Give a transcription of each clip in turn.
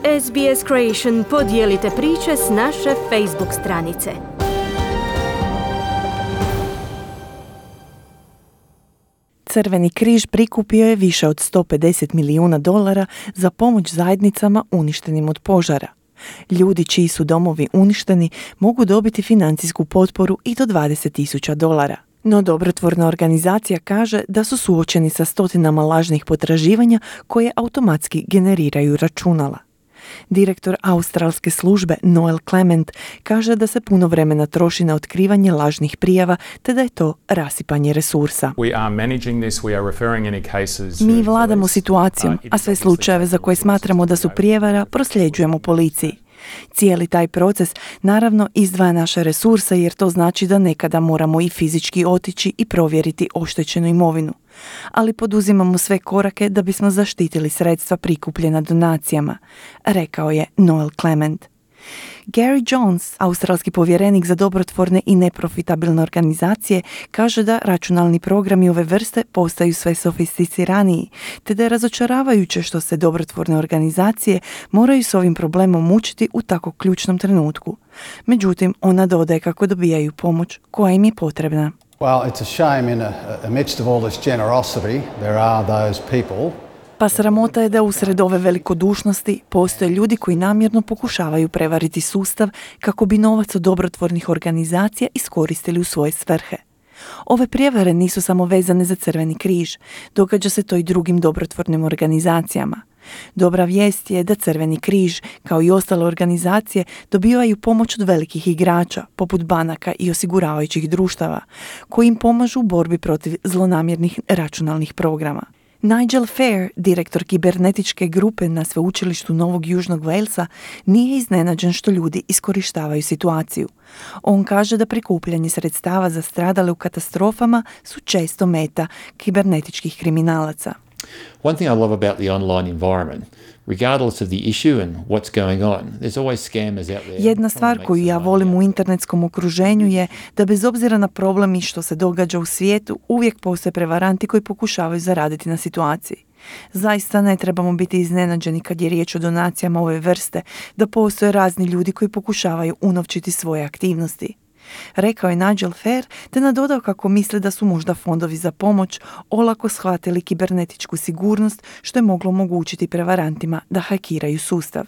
SBS Creation podijelite priče s naše Facebook stranice. Crveni križ prikupio je više od $150 milijuna za pomoć zajednicama uništenim od požara. Ljudi čiji su domovi uništeni mogu dobiti financijsku potporu i do $20,000. No dobrotvorna organizacija kaže da su suočeni sa stotinama lažnih potraživanja koje automatski generiraju računala. Direktor australske službe Noel Clement kaže da se puno vremena troši na otkrivanje lažnih prijava te da je to rasipanje resursa. Mi vladamo situacijom, a sve slučajeve za koje smatramo da su prijevara prosljeđujemo policiji. Cijeli taj proces naravno izdvaja naše resurse jer to znači da nekada moramo i fizički otići i provjeriti oštećenu imovinu. Ali poduzimamo sve korake da bismo zaštitili sredstva prikupljena donacijama, rekao je Noel Clement. Gary Jones, australski povjerenik za dobrotvorne i neprofitabilne organizacije, kaže da računalni programi ove vrste postaju sve sofisticiraniji, te da je razočaravajuće što se dobrotvorne organizacije moraju s ovim problemom mučiti u tako ključnom trenutku. Međutim, ona dodaje kako dobijaju pomoć koja im je potrebna. Well, it's a shame amidst of all this generosity, there are those people. Pa sramota je da usred ove velikodušnosti postoje ljudi koji namjerno pokušavaju prevariti sustav kako bi novac od dobrotvornih organizacija iskoristili u svoje svrhe. Ove prijevare nisu samo vezane za Crveni križ, događa se to i drugim dobrotvornim organizacijama. Dobra vijest je da Crveni križ, kao i ostale organizacije, dobivaju pomoć od velikih igrača, poput banaka i osiguravajućih društava, koji im pomažu u borbi protiv zlonamjernih računalnih programa. Nigel Fair, direktor kibernetičke grupe na sveučilištu Novog Južnog Walesa, nije iznenađen što ljudi iskorištavaju situaciju. On kaže da prikupljanje sredstava za stradale u katastrofama su često meta kibernetičkih kriminalaca. One thing I love about the online environment, regardless of the issue and what's going on, there's always scammers out there. Jedna stvar koju ja volim u internetskom okruženju je da bez obzira na problem i što se događa u svijetu, uvijek postoje prevaranti koji pokušavaju zaraditi na situaciji. Zaista ne trebamo biti iznenađeni kad je riječ o donacijama ove vrste, da postoje razni ljudi koji pokušavaju unovčiti svoje aktivnosti. Rekao je Nigel Fair te nadodao kako misle da su možda fondovi za pomoć olako shvatili kibernetičku sigurnost što je moglo omogućiti prevarantima da hakiraju sustav.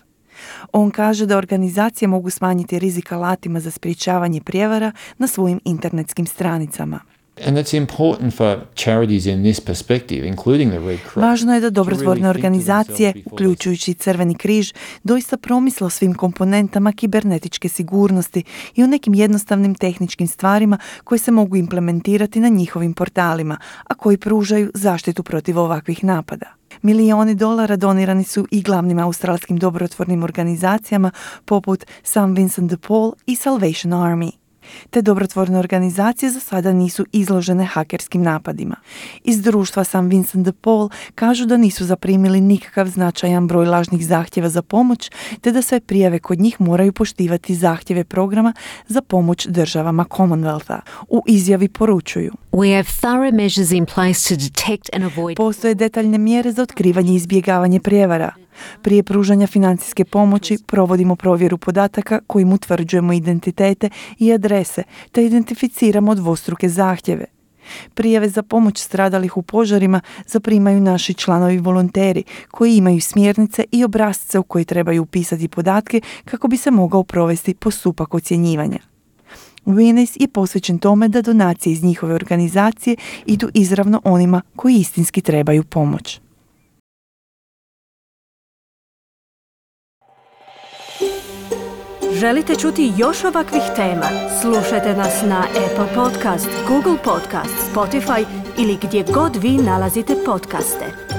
On kaže da organizacije mogu smanjiti rizik alatima za sprječavanje prijevara na svojim internetskim stranicama. And it's important for charities in this perspective, including the Red Cross. Važno je da dobrotvorne organizacije, uključujući Crveni križ, doista promisle o svim komponentama kibernetičke sigurnosti i o nekim jednostavnim tehničkim stvarima koje se mogu implementirati na njihovim portalima, a koji pružaju zaštitu protiv ovakvih napada. Milijuni dolara donirani su i glavnim australskim dobrotvornim organizacijama poput St. Vincent de Paul i Salvation Army. Te dobrotvorne organizacije za sada nisu izložene hakerskim napadima. Iz društva St. Vincent de Paul kažu da nisu zaprimili nikakav značajan broj lažnih zahtjeva za pomoć, te da sve prijave kod njih moraju poštivati zahtjeve programa za pomoć državama Commonwealtha. U izjavi poručuju: Postoje detaljne mjere za otkrivanje i izbjegavanje prijevara. Prije pružanja financijske pomoći provodimo provjeru podataka kojim utvrđujemo identitete i adrese, te identificiramo dvostruke zahtjeve. Prijave za pomoć stradalih u požarima zaprimaju naši članovi volonteri koji imaju smjernice i obrasce u koje trebaju upisati podatke kako bi se mogao provesti postupak ocjenjivanja. Winners je posvećen tome da donacije iz njihove organizacije idu izravno onima koji istinski trebaju pomoć. Želite čuti još ovakvih tema? Slušajte nas na Apple Podcast, Google Podcast, Spotify ili gdje god vi nalazite podcaste.